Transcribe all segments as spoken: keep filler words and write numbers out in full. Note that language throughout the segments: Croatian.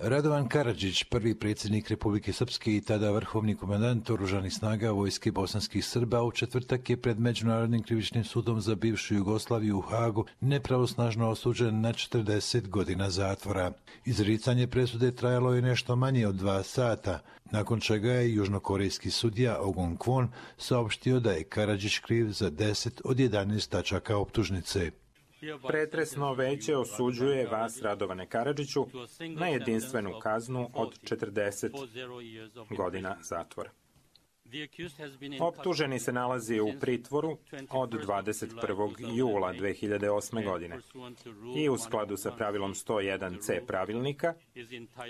Radovan Karadžić, prvi predsjednik Republike Srpske i tada vrhovni komandant oružanih snaga vojske bosanskih Srba, u četvrtak je pred Međunarodnim krivičnim sudom za bivšu Jugoslaviju u Hagu nepravosnažno osuđen na četrdeset godina zatvora. Izricanje presude trajalo je nešto manje od dva sata, nakon čega je južnokorejski sudija Ogun Kwon saopštio da je Karadžić kriv za deset od jedanaest tačaka optužnice. Pretresno veće osuđuje vas, Radovane Karadžiću, na jedinstvenu kaznu od četrdeset godina zatvora. Optuženi se nalazi u pritvoru od dvadeset prvog jula dve hiljade osme. godine i u skladu sa pravilom sto jedan ce pravilnika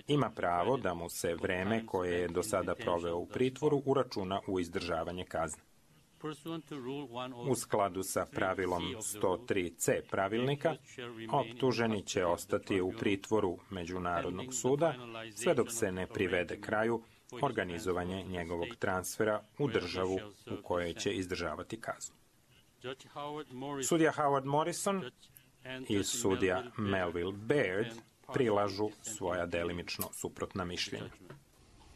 ima pravo da mu se vreme koje je do sada proveo u pritvoru uračuna u izdržavanje kazne. U skladu sa pravilom sto tri ce pravilnika, optuženi će ostati u pritvoru Međunarodnog suda sve dok se ne privede kraju organizovanje njegovog transfera u državu u kojoj će izdržavati kaznu. Sudija Howard Morrison i sudija Melville Baird prilažu svoja delimično suprotna mišljenja.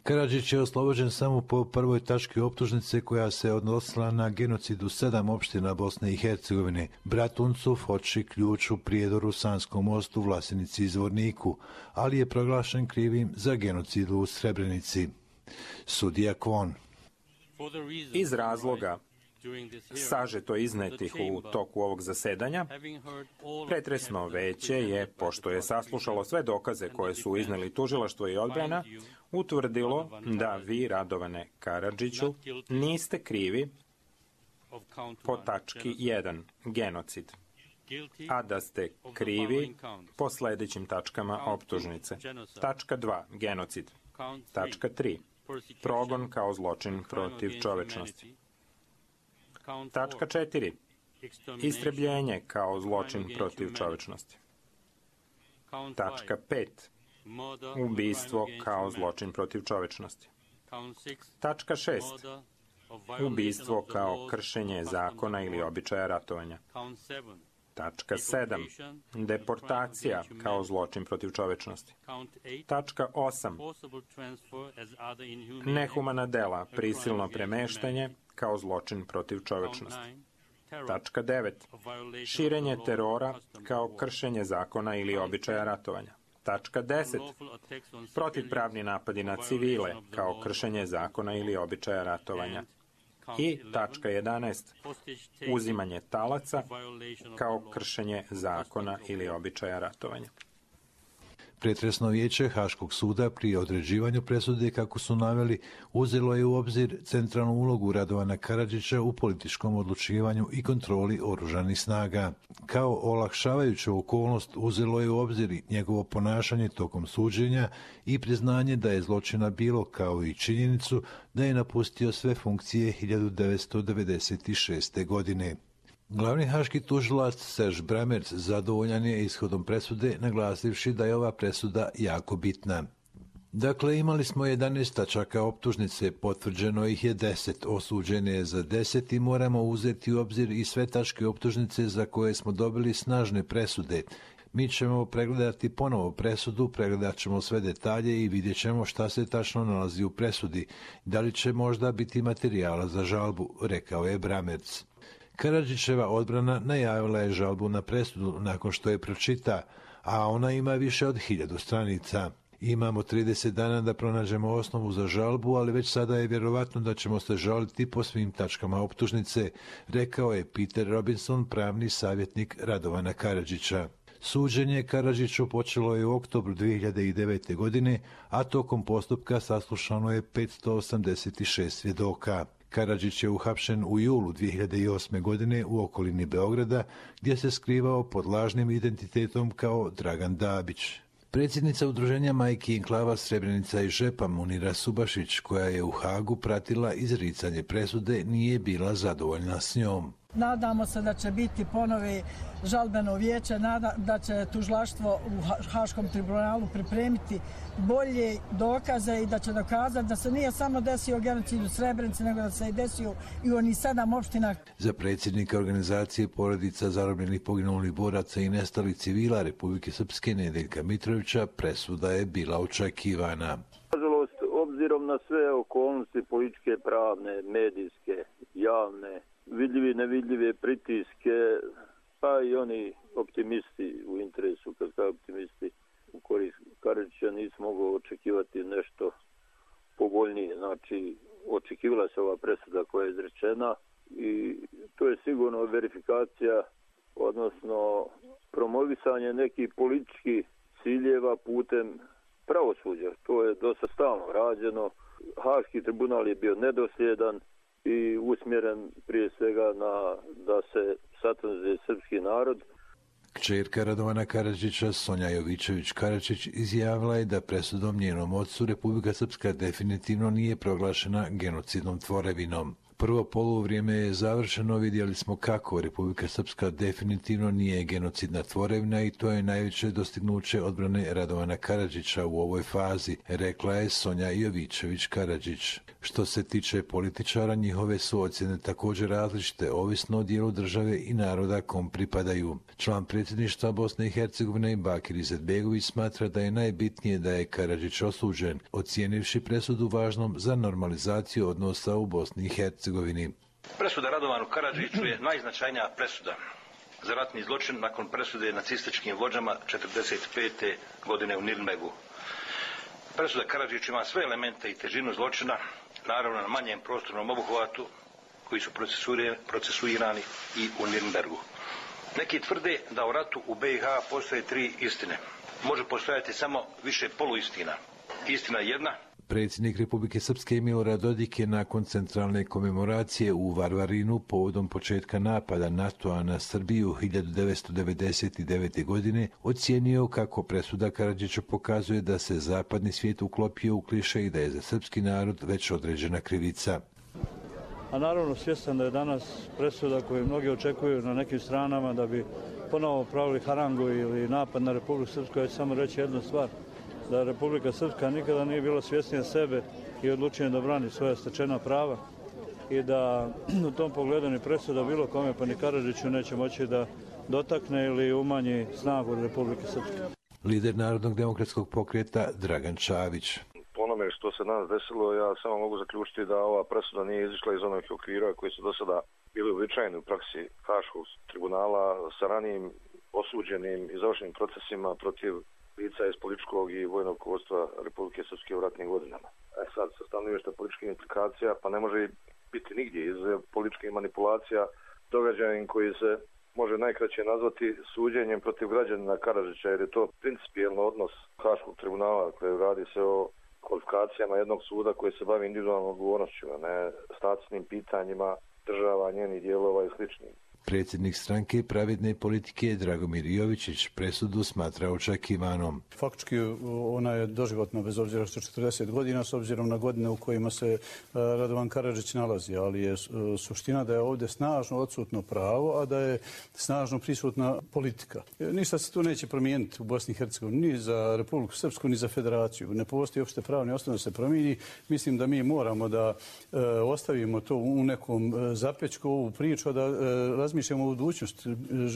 Karadžić je oslobođen samo po prvoj tački optužnice koja se odnosila na genocid u sedam opština Bosne i Hercegovine, Bratuncu, Foči, Ključu, Prijedoru, Sanskom mostu, Vlasenici i Zvorniku, ali je proglašen krivim za genocid u Srebrenici. Sudija Kwon. Iz razloga sažeto iznetih u toku ovog zasedanja, pretresno veće je, pošto je saslušalo sve dokaze koje su izneli tužilaštvo i odbrana, utvrdilo da vi, Radovane Karadžiću, niste krivi po tački jedan, genocid, a da ste krivi po sledećim tačkama optužnice. Tačka dva, genocid. Tačka tri, progon kao zločin protiv čovečnosti. Tačka četiri. Istrebljenje kao zločin protiv čovečnosti. Tačka pet. Ubistvo kao zločin protiv čovečnosti. Tačka šest. Ubistvo kao kršenje zakona ili običaja ratovanja. Tačka sedam. Deportacija kao zločin protiv čovečnosti. Tačka osam. Nehumana dela, prisilno premeštanje kao zločin protiv čovečnosti. Tačka devet. Širenje terora kao kršenje zakona ili običaja ratovanja. Tačka deset. Protivpravni napadi na civile kao kršenje zakona ili običaja ratovanja. I tačka jedanaest. Uzimanje talaca kao kršenje zakona ili običaja ratovanja. Pretresno vijeće Haškog suda pri određivanju presude, kako su naveli, uzelo je u obzir centralnu ulogu Radovana Karadžića u političkom odlučivanju i kontroli oružanih snaga. Kao olakšavajuću okolnost uzelo je u obzir njegovo ponašanje tokom suđenja i priznanje da je zločina bilo, kao i činjenicu da je napustio sve funkcije hiljadu devetsto devedeset šeste. godine. Glavni haški tužilac Serge Brammertz zadovoljan je ishodom presude, naglasivši da je ova presuda jako bitna. Dakle, imali smo jedanaest tačaka optužnice, potvrđeno ih je deset, osuđene je za deset i moramo uzeti u obzir i sve tačke optužnice za koje smo dobili snažne presude. Mi ćemo pregledati ponovo presudu, pregledat ćemo sve detalje i vidjet ćemo šta se tačno nalazi u presudi. Da li će možda biti materijala za žalbu, rekao je Brammertz. Karadžićeva odbrana najavila je žalbu na presudu nakon što je pročita, a ona ima više od hiljadu stranica. Imamo trideset dana da pronađemo osnovu za žalbu, ali već sada je vjerovatno da ćemo se žaliti po svim tačkama optužnice, rekao je Peter Robinson, pravni savjetnik Radovana Karadžića. Suđenje Karadžiću počelo je u oktobru dve hiljade devete. godine, a tokom postupka saslušano je petsto osamdeset šest svjedoka. Karadžić je uhapšen u julu dve hiljade osme. godine u okolini Beograda, gdje se skrivao pod lažnim identitetom kao Dragan Dabić. Predsjednica udruženja Majki Enklava Srebrenica i Žepa Munira Subašić, koja je u Hagu pratila izricanje presude, nije bila zadovoljna s njom. Nadamo se da će biti ponovi žalbeno vijeće, da će tužilaštvo u Haškom tribunalu pripremiti bolje dokaze i da će dokazati da se nije samo desio genocid u Srebrenici, nego da se i desio i u onih sedam opština. Za predsjednika organizacije porodica zarobljenih poginulih boraca i nestalih civila Republike Srpske Nedeljka Mitrovića presuda je bila očekivana. Nažalost, obzirom na sve okolnosti političke, pravne, medijske, javne, vidljivi i nevidljive pritiske, pa i oni optimisti u interesu, kad kao optimisti u korist Karadžića, nisam mogao očekivati nešto povoljnije. Znači, očekivala se ova presuda koja je izrečena i to je sigurno verifikacija, odnosno promovisanje nekih političkih ciljeva putem pravosuđa. To je dosta stalno rađeno. Haški tribunal je bio nedosljedan i usmjeren prije svega na da se satanizuje srpski narod. Kćerka Radovana Karadžića, Sonja Jovičević Karadžić, izjavila je da presudom njenom ocu Republika Srpska definitivno nije proglašena genocidnom tvorevinom. Prvo poluvrijeme je završeno, vidjeli smo kako Republika Srpska definitivno nije genocidna tvorevina i to je najveće dostignuće odbrane Radovana Karadžića u ovoj fazi, rekla je Sonja Jovičević Karadžić. Što se tiče političara, njihove su ocjene također različite, ovisno o dijelu države i naroda kom pripadaju. Član predsjedništva Bosne i Hercegovine Bakir Izetbegović smatra da je najbitnije da je Karadžić osuđen, ocijenivši presudu važnom za normalizaciju odnosa u Bosni i Hercegovini. Presuda Radovanu Karadžiću je najznačajnija presuda za ratni zločin nakon presude nacističkim vođama četrdeset pete godine u Nirnbergu. Presuda Karadžiću ima sve elemente i težinu zločina, naravno na manjem prostornom obuhvatu koji su procesuirani i u Nirnbergu. Neki tvrde da u ratu u B i H postoje tri istine. Može postojati samo više poluistina. Istina jedna. Predsjednik Republike Srpske Milorad Dodik je nakon centralne komemoracije u Varvarinu povodom početka napada NATO-a na Srbiju hiljadu devetsto devedeset devete. godine ocijenio kako presuda Karadžiću pokazuje da se zapadni svijet uklopio u kliše i da je za srpski narod već određena krivica. A naravno svjestan da je danas presuda koju mnogi očekuju na nekim stranama da bi ponovo pravili harangu ili napad na Republiku Srpsku, ja ću samo reći jednu stvar. Da Republika Srpska nikada nije bila svjesnija sebe i odlučena da brani svoja stečena prava i da u tom pogledu ni presuda bilo kome pa ni Karadžiću neće moći da dotakne ili umanji snagu Republike Srpske. Lider Narodnog demokratskog pokreta Dragan Čavić. Po onome što se danas desilo, ja samo mogu zaključiti da ova presuda nije izišla iz onih okvira koji su do sada bili uobičajeni u praksi Haškog tribunala sa ranijim osuđenim i završenim procesima protiv lica iz političkog i vojnog vodstva Republike Srpske u ratnim godinama. E sad, sa stanovišta političkih implikacija, pa ne može biti nigdje iz političkih manipulacija događajem koji se može najkraće nazvati suđenjem protiv građanina Karadžića, jer je to principijelno odnos Haškog tribunala koji radi se o kvalifikacijama jednog suda koji se bavi individualnom odgovornošću, a ne statusnim pitanjima država, njenih dijelova i sličnim. Predsjednik stranke pravedne politike Dragomir Jovičić presudu smatra očekivanom. Faktički ona je doživotna bez obzira što četrdeset godina s obzirom na godine u kojima se Radovan Karadžić nalazi, ali je suština da je ovdje snažno odsutno pravo, a da je snažno prisutna politika. Ništa se tu neće promijeniti u Bosni i Hercegovini, ni za Republiku Srpsku, ni za Federaciju. Ne postoji uopšte pravni osnov da se promijeni. Mislim da mi moramo da ostavimo to u nekom zapećku, ovu priču, da razmišljamo mišljamo o budućnosti,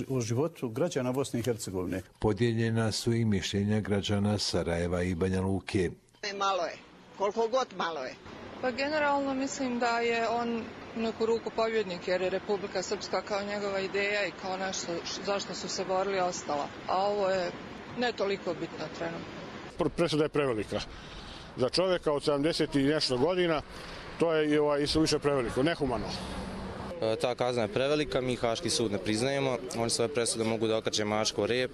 o životu građana Bosne i Hercegovine. Podijeljena su i mišljenja građana Sarajeva i Banja Luke. Malo je, koliko god malo je. Pa generalno mislim da je on u neku ruku pobjednik, jer je Republika Srpska kao njegova ideja i kao nešto zašto su se borili ostala. A ovo je ne toliko bitno trenutno. Presuda je prevelika. Za čovjeka od sedamdeset i nešto godina to je i ovaj, više preveliko, nehumano. Ta kazna je prevelika, mi Haški sud ne priznajemo, oni svoje presude mogu da okače mačko rep.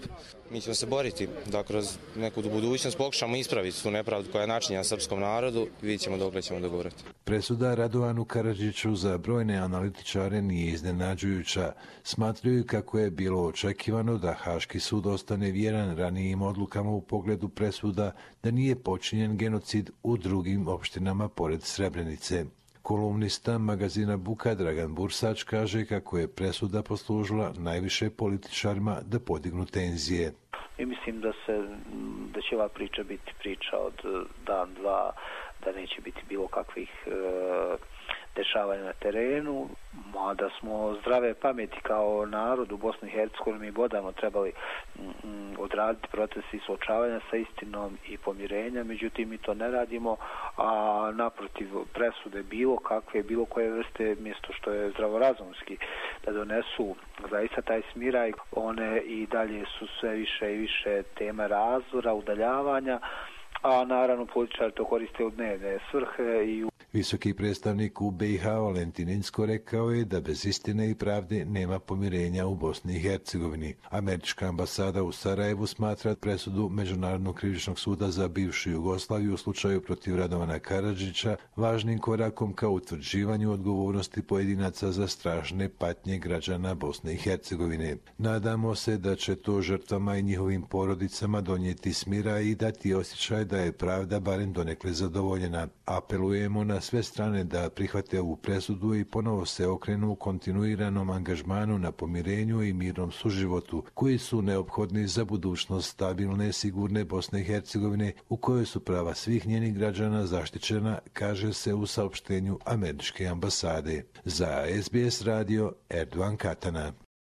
Mi ćemo se boriti da kroz neku budućnost pokušamo ispraviti tu nepravdu koja je načinjena srpskom narodu i vidjet ćemo dokle ćemo dogovoriti. Presuda Radovanu Karadžiću za brojne analitičare nije iznenađujuća. Smatraju kako je bilo očekivano da Haški sud ostane vjeran ranijim odlukama u pogledu presuda da nije počinjen genocid u drugim opštinama pored Srebrenice. Kolumnista magazina Buka Dragan Bursač kaže kako je presuda poslužila najviše političarima da podignu tenzije. I mislim da se da će ova priča biti priča od dan, dva, da neće biti bilo kakvih e, dešavanja na terenu, mada smo zdrave pameti kao narod u Bosni i Hercegovini bodano trebali mm, odraditi proces i suočavanja sa istinom i pomirenja, međutim mi to ne radimo, a naprotiv presude bilo kakve, bilo koje vrste, mjesto što je zdravorazumski da donesu zaista taj smiraj, one i dalje su sve više i više tema razdora, udaljavanja, a naravno političari to koriste u dnevne svrhe i u... Visoki predstavnik u B i H Valentin Incko rekao je da bez istine i pravde nema pomirenja u Bosni i Hercegovini. Američka ambasada u Sarajevu smatra presudu Međunarodnog krivičnog suda za bivšu Jugoslaviju u slučaju protiv Radovana Karadžića važnim korakom ka utvrđivanju odgovornosti pojedinaca za strašne patnje građana Bosne i Hercegovine. Nadamo se da će to žrtvama i njihovim porodicama donijeti smira i dati osjećaj da je pravda barem donekle zadovoljena. Apelujemo na sve strane da prihvate ovu presudu i ponovo se okrenu u kontinuiranom angažmanu na pomirenju i mirnom suživotu, koji su neophodni za budućnost stabilne, sigurne Bosne i Hercegovine, u kojoj su prava svih njenih građana zaštićena, kaže se u saopštenju američke ambasade. Za S B S radio, Erdogan Katana.